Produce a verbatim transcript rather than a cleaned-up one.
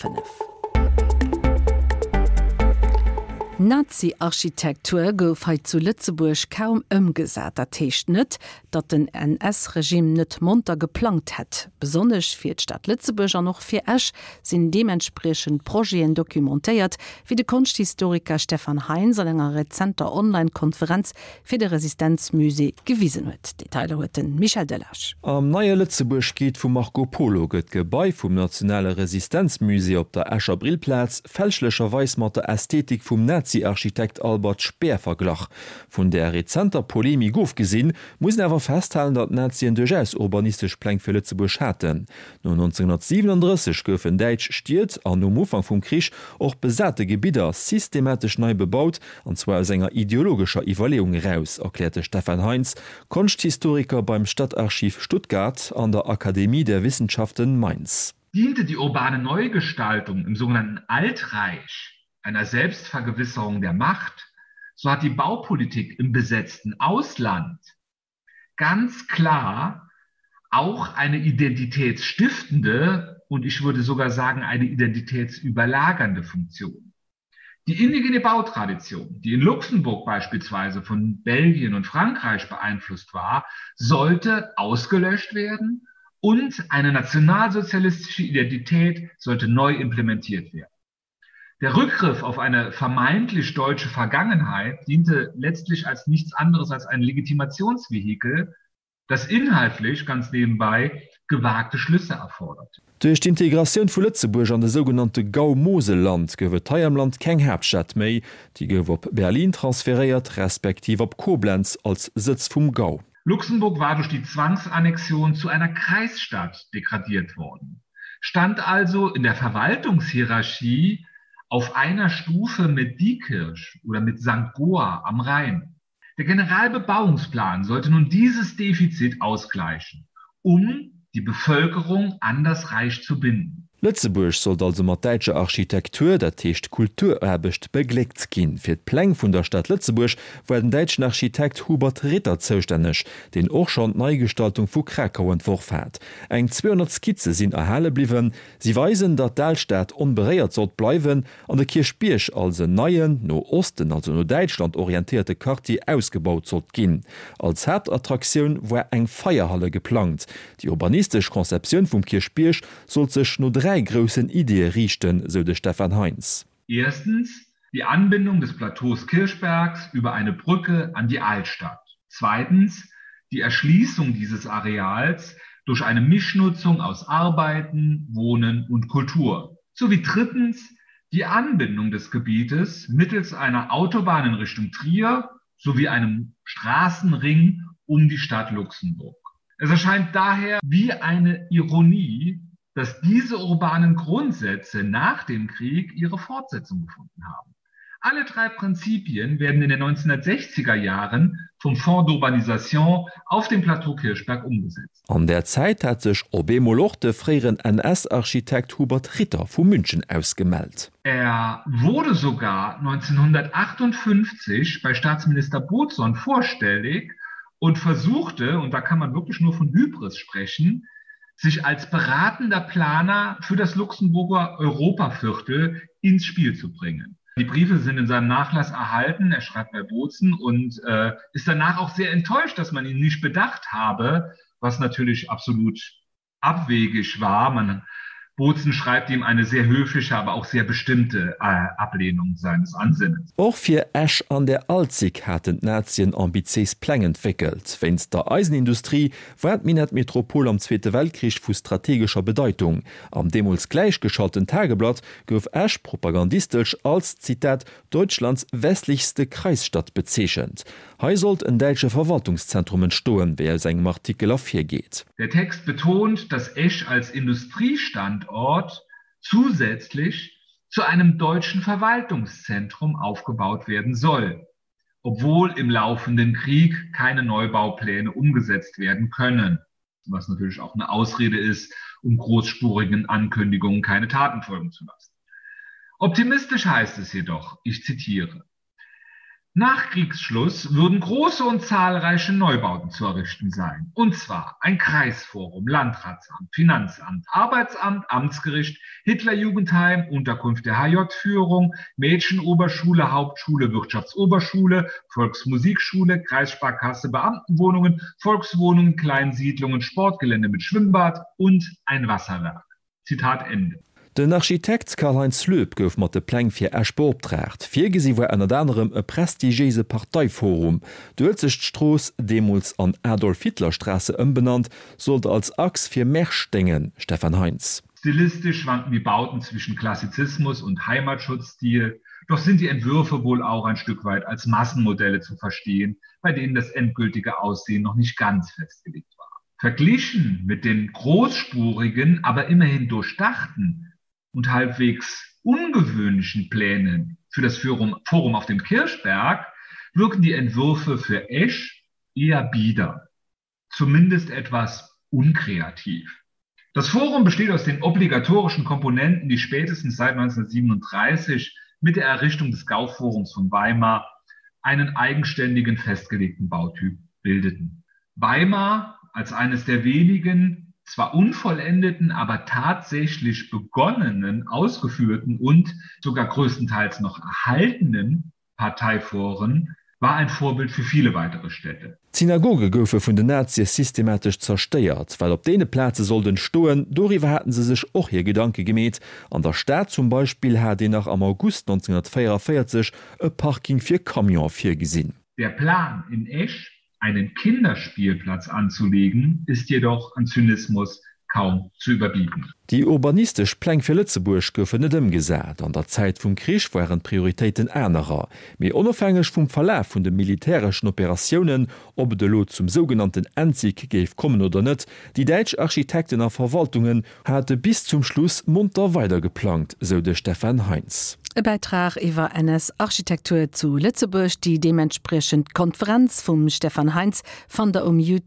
fënnef. Nazi-Architektur gouf hei zu Lëtzebuerg kaum ëmgesat. Dat heescht net, datt den N S-Regime net monter geplangt hätt. Besonnesch fir d'Stad Lëtzebuerg an och fir Esch sinn deementspriechend Projeten documentéiert, wéi de Konschthistoriker Stefan Heinz an enger rezenter Online-Konferenz fir de Resistenzmusée gewisen huet. Detailer huet de Michel Delage. Am neie Lëtzebuerg-Guide vum Marco Polo gëtt d'Gebai vum Nationale Resistenzmusée op der Escher Brillplaz fälschlecherweis mat der Ästhetik vum Nazi-Architekt Albert Speer verglach. Vun der rezenter Polemik ofgesinn, muss een awer festhalen, datt d'Nazien duerchaus urbanistesch Pläng fir Lëtzebuerg haten. No nonzénghunnertsiwenundrësseg goufen däitsch Stied an nom Ufank vum Krich och besate Gebidder systematesch nei bebaut, an zwar aus enger ideologescher Iwwerleeung eraus, erkläert de Stefan Heinz, Konschthistoriker beim Stadtarchiv Stuttgart an der Akademie der Wissenschaften Mainz. Diente die urbane Neugestaltung im sogenannten Altreich einer Selbstvergewisserung der Macht, so hat die Baupolitik im besetzten Ausland ganz klar auch eine identitätsstiftende und ich würde sogar sagen eine identitätsüberlagernde Funktion. Die indigene Bautradition, die in Luxemburg beispielsweise von Belgien und Frankreich beeinflusst war, sollte ausgelöscht werden und eine nationalsozialistische Identität sollte neu implementiert werden. Der Rückgriff auf eine vermeintlich deutsche Vergangenheit diente letztlich als nichts anderes als ein Legitimationsvehikel, das inhaltlich ganz nebenbei gewagte Schlüsse erfordert. Duerch d'Integratioun vu Lëtzebuerg an de sougenannte Gau Moselland gouf et hei am Land keng Haaptstad méi, déi gouf op Berlin transferéiert, respektiv op Koblenz als Sëtz vum Gau. Luxemburg war durch die Zwangsannexion zu einer Kreisstadt degradiert worden, stand also in der Verwaltungshierarchie auf einer Stufe mit Diekirch oder mit Sankt Goar am Rhein. Der Generalbebauungsplan sollte nun dieses Defizit ausgleichen, um die Bevölkerung an das Reich zu binden. Lëtzebuerg sollt also mat däitscher Architektur, dat heescht Kulturaarbecht, begléckt ginn. Fir d'Pläng vun der Stad Lëtzebuerg war den däitschen Architekt Hubert Ritter zoustänneg, deen och schonn d'Neigestaltung vu Krakau entworf hat. Eng zweehonnert Skizze sinn erhale bliwwen. Si weisen, datt d'Alstad onberéiert sollt bleiwen an de Kierchbierg als en neien, no Osten, also no Däitschland orientéierte Quartier ausgebaut sollt ginn. Als Haaptattraktioun war eng Feierhalle geplangt. Déi urbanistesch Konzeptioun vum Kierchbierg sollt sech no dräi groussen Iddie riichten, sou de Stefan Heinz. Erstens die Anbindung des Plateaus Kirchbergs über eine Brücke an die Altstadt. Zweitens die Erschließung dieses Areals durch eine Mischnutzung aus Arbeiten, Wohnen und Kultur. Sowie drittens die Anbindung des Gebietes mittels einer Autobahn in Richtung Trier sowie einem Straßenring um die Stadt Luxemburg. Es erscheint daher wie eine Ironie, dass diese urbanen Grundsätze nach dem Krieg ihre Fortsetzung gefunden haben. Alle drei Prinzipien werden in den neunzehnhundertsechziger Jahren vum Fonds d'urbanisation auf dem Plateau Kirchberg umgesetzt. An där Zäit hat sech op eemol och de fréieren N S-Architekt Hubert Ritter vu München aus gemellt. Er wurde sogar neunzehnhundertachtundfünfzig bei Staatsminister Bodson vorstellig und versuchte, und da kann man wirklich nur von Hybris sprechen, sich als beratender Planer für das Luxemburger Europaviertel ins Spiel zu bringen. Die Briefe sind in seinem Nachlass erhalten, er schreibt bei Bozen und, äh, ist danach auch sehr enttäuscht, dass man ihn nicht bedacht habe, was natürlich absolut abwegig war. Man, Bozen schreibt ihm eine sehr höfliche, aber auch sehr bestimmte, äh, Ablehnung seines Ansinnens. Och fir Esch an der Alzig haten d'Nazien ambitiéis Pläng entwéckelt. Wéinst der Eisenindustrie war d'Minettmetropol am Zweete Weltkrich vu strategescher Bedeitung. Am deemools gläichgeschalten Tageblatt gouf Esch propagandistesch als, Zitat, Deutschlands westlichste Kreisstadt bezeechent. Hei sollt en däitsche Verwaltungszentrum entstoen, wéi aus engem Artikel ervirgeet. Der Text betont, dass Esch als Industriestandort zusätzlich zu einem deutschen Verwaltungszentrum aufgebaut werden soll, obwohl im laufenden Krieg keine Neubaupläne umgesetzt werden können, was natürlich auch eine Ausrede ist, um großspurigen Ankündigungen keine Taten folgen zu lassen. Optimistisch heißt es jedoch, ich zitiere, Nach Kriegsschluss würden große und zahlreiche Neubauten zu errichten sein, und zwar ein Kreisforum, Landratsamt, Finanzamt, Arbeitsamt, Amtsgericht, Hitlerjugendheim, Unterkunft der H J-Führung, Mädchenoberschule, Hauptschule, Wirtschaftsoberschule, Volksmusikschule, Kreissparkasse, Beamtenwohnungen, Volkswohnungen, Kleinsiedlungen, Sportgelände mit Schwimmbad und ein Wasserwerk. Zitat Ende. Den Architekt Karl-Heinz Löb gouf mat de Pläng fir Esch beoptraagt. Virgesi war ënnert anerem e prestigiéise Parteiforum. D'Uelzechtstrooss, deemools an Adolf-Hitler-Straße ëmbenannt, sollt als Achs fir Märsch déngen, Stefan Heinz. Stilistisch schwanken die Bauten zwischen Klassizismus und Heimatschutzstil, doch sind die Entwürfe wohl auch ein Stück weit als Massenmodelle zu verstehen, bei denen das endgültige Aussehen noch nicht ganz festgelegt war. Verglichen mit den großspurigen, aber immerhin durchdachten und halbwegs ungewöhnlichen Plänen für das Forum, Forum auf dem Kirchberg wirken die Entwürfe für Esch eher bieder, zumindest etwas unkreativ. Das Forum besteht aus den obligatorischen Komponenten, die spätestens seit neunzehnhundertsiebenunddreißig mit der Errichtung des Gauforums von Weimar einen eigenständigen festgelegten Bautyp bildeten. Weimar als eines der wenigen zwar unvollendeten, aber tatsächlich begonnenen, ausgeführten und sogar größtenteils noch erhaltenen Parteiforen war ein Vorbild für viele weitere Städte. D'Synagoge goufe vun den Nazie systematesch zerstéiert, well op deene Plaze sollt entstoen, doriwwer haten se sech och hir Gedanke gemeet. An der Stad zum Beispill hat een nach am August neunzehnhunnertvéierunvéierzeg e Parking fir Camione virgesinn. Der Plan in Esch, einen Kinderspielplatz anzulegen, ist jedoch an Zynismus kaum zu überbieten. Déi urbanistesch Pläng fir Lëtzebuerg goufen net ëmgesat. An der Zäit vum Krich waren d'Prioritéiten anerer. Mee onofhängeg vum Verlaf vun de militäreschen Operatiounen, ob et elo zum sougenannten Endsieg géif kommen oder net, déi däitsch Architekten a Verwaltungen hate bis zum Schluss monter weidergeplangt, sou de Stefan Heinz. E Bäitrag iwwer N S-Architektur zu Lëtzebuerg, déi deementspriechend Konferenz vum Stefan Heinz fannt der um